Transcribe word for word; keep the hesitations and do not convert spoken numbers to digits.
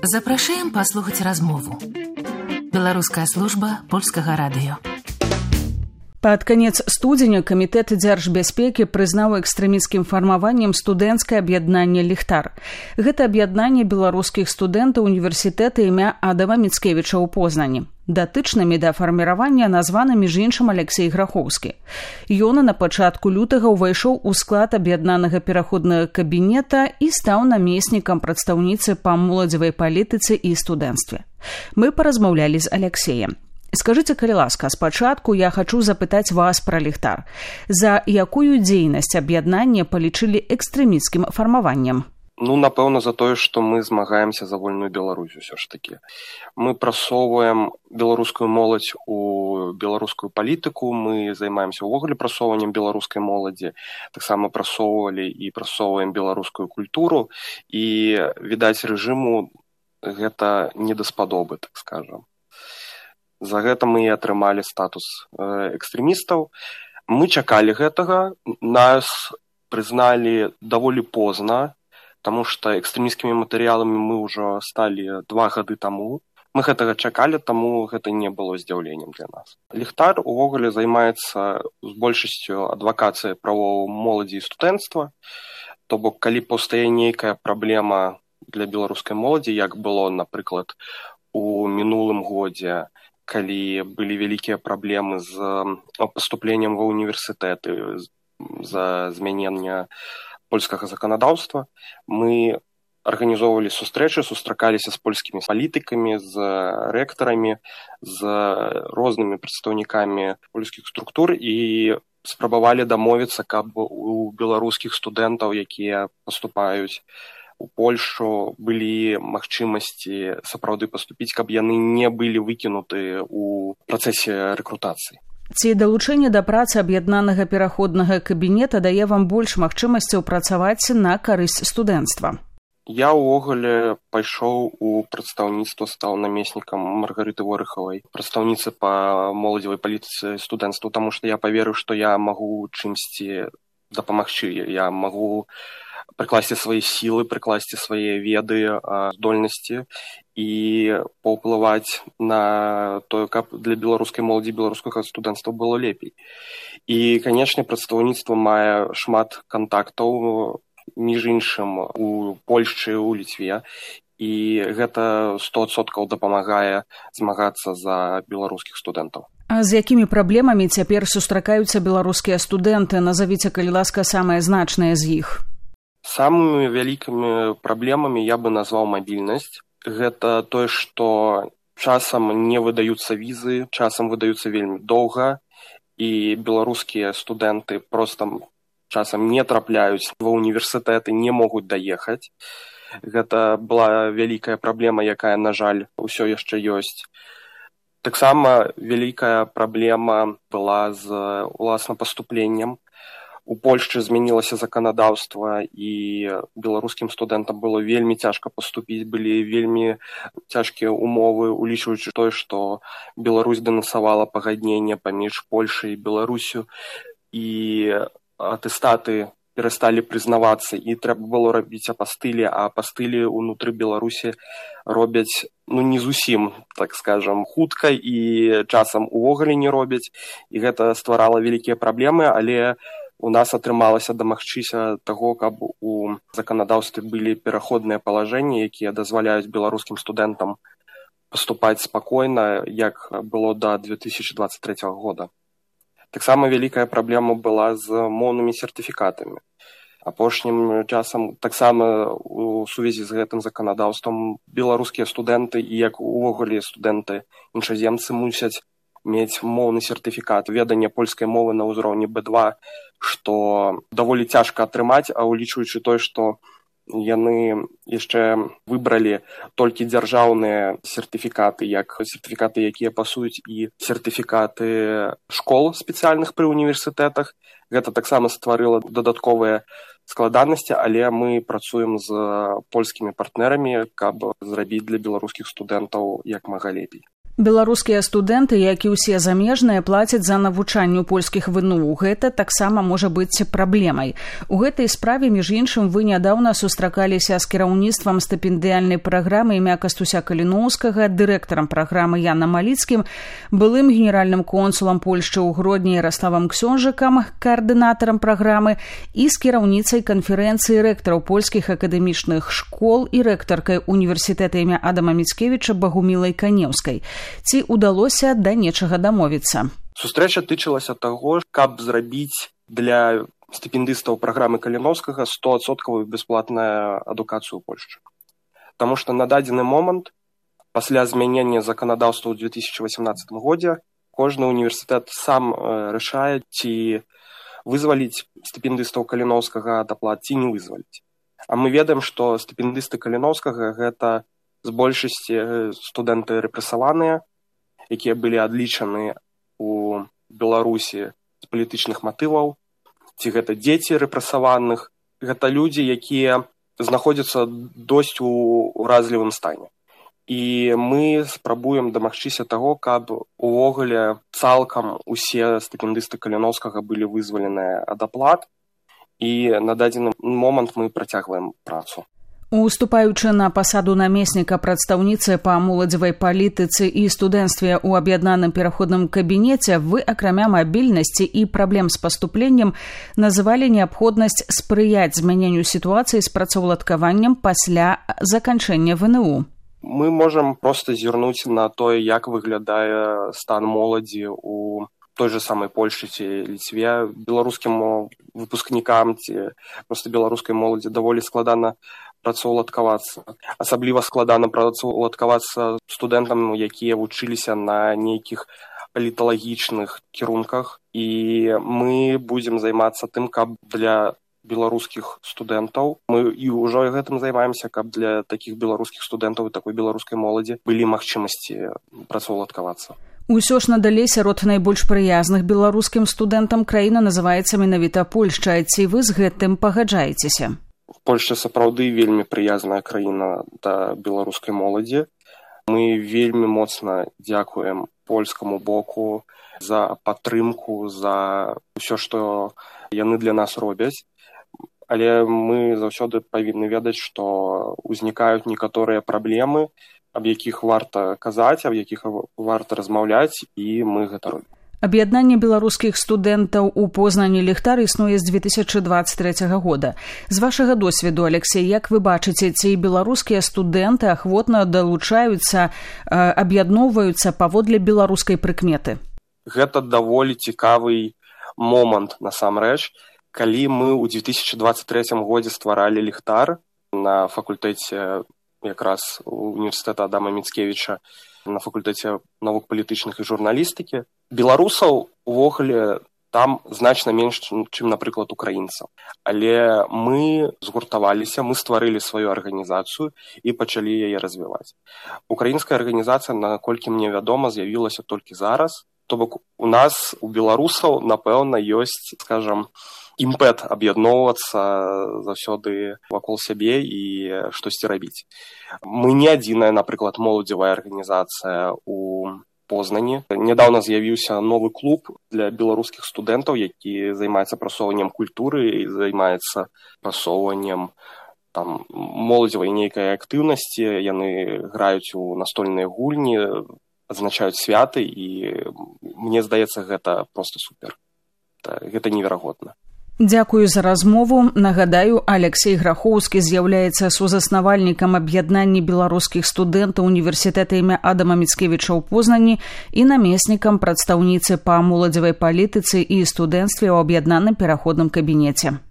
Запрашаем паслухаць размову. Беларуская служба польскага радыё. Пад канец студзеня Камітэт дзяржбяспекі прызнаў экстрэмісцкім фармаваннем студэнцкае аб'яднанне «Ліхтар». Гэта аб'яднанне беларускіх студэнтаў універсітэта імя Адама Міцкевіча ў Познані. Датычнымі да фарміравання названы між іншым Алексей Грахоўскі. Ён на пачатку лютага ўвайшоў у склад аб'яднанага пераходнага кабінета і стаў намеснікам прадстаўніцы па моладзевай палітыцы і студэнцтве. Мы паразмаўлялі з Алексеем. Скажыце, калі ласка, спачатку я хачу запытаць вас пра «Ліхтар». За якую дзейнасць аб'яднання палічылі экстрэмісцкім фармаваннем? Ну, напэўна, за тое, што мы змагаемся за вольную Беларусь усё ж такі. Мы прасоўваем беларускую моладзь у беларускую палітыку, мы займаемся ўвогуле прасоўваннем беларускай моладзі, таксама прасоўвалі і прасоўваем беларускую культуру, і, відаць, рэжыму гэта не даспадобы, так скажам. За гэта мы і атрымалі статус экстрэмістаў. Мы чакалі гэтага, нас прызналі даволі позна, таму што экстрэмісцкімі матэрыяламі мы ўжо сталі два гады таму. Мы гэтага чакалі, таму гэта не было здзіўленнем для нас. «Ліхтар» увогуле займаецца з большасцю адвакацыяй правоў моладзі і студэнцтва. То бок, калі паўстае нейкая праблема для беларускай моладзі, як было, напрыклад, у мінулым годзе, калі былі вялікія праблемы з паступленнем ва універсітэты за змянення польскага заканадаўства, мы арганізоўвалі сустрэчы, сустракаліся з польскімі палітыкамі, з рэктарамі, з рознымі прадстаўнікамі польскіх структур і спрабавалі дамовіцца, каб у беларускіх студэнтаў, якія паступаюць у Польшу, былі магчымасці сапраўды паступіць, каб яны не былі выкінуты ў працэсе рэкрутацыі. Ці далучэнне да працы аб'яднанага пераходнага кабінета дае вам больш магчымасцяў працаваць на карысць студэнцтва? Я ўвогуле пайшоў у прадстаўніцтва, стаў намеснікам Маргарыты Ворыхавай, прадстаўніцы па моладзевай палітыцы студэнцтва, таму што я паверыў, што я магу чымсьці дапамагчы, я магу прыкласці свае сілы, прыкласці свае веды, здольнасці і паўплываць на тое, каб для беларускай моладзі, беларускага студэнцтва было лепей. І, канечне, прадстаўніцтва мае шмат кантактаў, між іншым, у Польшчы, у Літве, і гэта сто адсоткаў дапамагае змагацца за беларускіх студэнтаў. А з якімі праблемамі цяпер сустракаюцца беларускія студэнты? Назавіце, калі ласка, самыя значныя з іх. Самымі вялікімі праблемамі я бы назваў мабільнасць. Гэта тое, што часам не выдаюцца візы, часам выдаюцца вельмі доўга, і беларускія студэнты проста часам не трапляюць ва універсітэты, не могуць даехаць. Гэта была вялікая праблема, якая, на жаль, усё яшчэ ёсць. Таксама вялікая праблема была з уласна паступленнем. У Польшчы змянілася заканадаўства, і беларускім студэнтам было вельмі цяжка паступіць, былі вельмі цяжкія умовы, улічваючы тое, што Беларусь дэнасавала пагадненне паміж Польшай і Беларусю, і атэстаты перасталі прызнавацца, і трэба было рабіць апастылі, а апастылі ўнутры Беларусі робяць, ну, не зусім, так скажам, хутка, і часам увогуле не робяць, і гэта стварала вялікія праблемы, але у нас атрымалася дамагчыся таго, каб у заканадаўстве былі пераходныя палажэнні, якія дазваляюць беларускім студэнтам паступаць спакойна, як было да две тысячы дваццаць трэцяга года. Таксама вялікая праблема была з моўнымі сертыфікатамі. Апошнім часам таксама у сувязі з гэтым заканадаўствам беларускія студэнты і як увогуле студэнты іншаземцы мусяць мець моўны сертыфікат, веданне польскай мовы на ўзроўні бэ два, што даволі цяжка атрымаць, а улічваючы тое, што яны яшчэ выбралі толькі дзяржаўныя сертыфікаты, як сертыфікаты, якія пасуюць, і сертыфікаты школ спецыяльных пры універсітэтах. Гэта таксама стварыла дадатковыя складанасці, але мы працуем з польскімі партнерамі, каб зрабіць для беларускіх студэнтаў як мага лепей. Беларускія студэнты, як і ўсе замежныя, плацяць за навучанне ў польскіх вэ эн у. Гэта таксама можа быць праблемай. У гэтай справе, між іншым, вы нядаўна сустракаліся з кіраўніцтвам стыпендыяльнай праграмы імя Кастуся Каліноўскага, дырэктарам праграмы Янам Маліцкім, былым генеральным консулам Польшчы ў Гродні Яраславам Ксёнжыкам, каардынатарам праграмы, і з кіраўніцай канферэнцыі рэктараў польскіх акадэмічных школ і рэктаркай універсітэта імя Адама Міцкевіча Багумілай Канеўскай. Ці ўдалося да нечага дамовіцца? Сустрэча тычылася таго, каб зрабіць для стыпендыстаў праграмы Каліноўскага сто адсоткаў бясплатную адукацыю ў Польшчы. Таму што на дадзены момант, пасля змянення заканадаўства ў две тысячи восемнадцатым годзе, кожны універсітэт сам рашае, ці вызваліць стыпендыстаў Каліноўскага ад аплат, ці не вызваліць. А мы ведаем, што стыпендысты Каліноўскага гэта з большасці студэнты рэпрэсаваныя, якія былі адлічаны ў Беларусі з палітычных матываў, ці гэта дзеці рэпрэсаваных, гэта людзі, якія знаходзяцца досць у уразлівым стане. І мы спрабуем дамагчыся таго, каб увогуле цалкам усе стыпендысты Каліноўскага былі вызваленыя ад аплат, і на дадзены момант мы працягваем працу. Уступаючы на пасаду намесніка прадстаўніцы па моладзевай палітыцы і студэнцтве ў аб'яднаным пераходным кабінеце, вы, акрамя мабільнасці і праблем з паступленнем, называлі неабходнасць спрыяць змяненню сітуацыі з працаўладкаваннем пасля заканчэння вэ эн у. Мы можам проста зірнуць на тое, як выглядае стан моладзі ў той же самой Польшчы ці Ліцве. Беларускім выпускнікам ці проста беларускай моладзі даволі складана працаўладкавацца. Асабліва складана працаўладкавацца студэнтам, якія вучыліся на нейкіх паліталагічных кірунках. І мы будзем займацца тым, каб для беларускіх студэнтаў, мы і ўжо гэтым займаемся, каб для такіх беларускіх студэнтаў і такой беларускай моладзі былі магчымасці працаўладкавацца. Усё ж надалей сярод найбольш прыязных беларускім студэнтам краіна называецца менавіта Польшча. Ці вы з гэтым пагаджаецеся? Польшча сапраўды вельмі прыязная краіна да беларускай моладзі. Мы вельмі моцна дзякуем польскаму боку за падтрымку, за ўсё, што яны для нас робяць. Але мы заўсёды павінны ведаць, што ўзнікаюць некаторыя праблемы, аб якіх варта казаць, аб якіх варта размаўляць, і мы гэта робім. Аб'яднанне беларускіх студэнтаў у Познані «Ліхтар» існуе з две тысячи двадцать третьего года. З вашага досведу, Алексей, як вы бачыце, ці беларускія студэнты ахвотна далучаюцца, аб'ядноўваюцца паводле беларускай прыкметы? Гэта даволі цікавы момант, насамрэч. Калі мы ў две тысячи двадцать третьем годзе стваралі «Ліхтар» на факультэце якраз універсітэта Адама Міцкевіча, на факультэце навук палітычных і журналістыкі, беларусаў увогуле там значна менш, чым, напрыклад, украінцаў. Але мы згуртаваліся, мы стварылі сваю арганізацыю і пачалі яе развіваць. Украінская арганізацыя, наколькі мне вядома, з'явілася толькі зараз. То бок у нас, у беларусаў, напэўна, ёсць, скажам, імпэт аб'ядноўвацца заўсёды вакол сябе і штосьці рабіць. Мы не адзіная, напрыклад, моладзевая арганізацыя ў Познані. Нядаўна з'явіўся новы клуб для беларускіх студэнтаў, які займаецца прасоўваннем культуры і займаецца прасоўваннем там моладзевай нейкай актыўнасці. Яны граюць у настольныя гульні, адзначаюць святы, і мне здаецца, гэта проста супер. Гэта неверагодна. Дзякую за размову. Нагадаю, Алексей Грахоўскі з'яўляецца сузаснавальнікам аб'яднання беларускіх студэнтаў універсітэта імя Адама Міцкевіча ў Познані і намеснікам прадстаўніцы па моладзевай палітыцы і студэнцтве ў аб'яднаным пераходным кабінеце.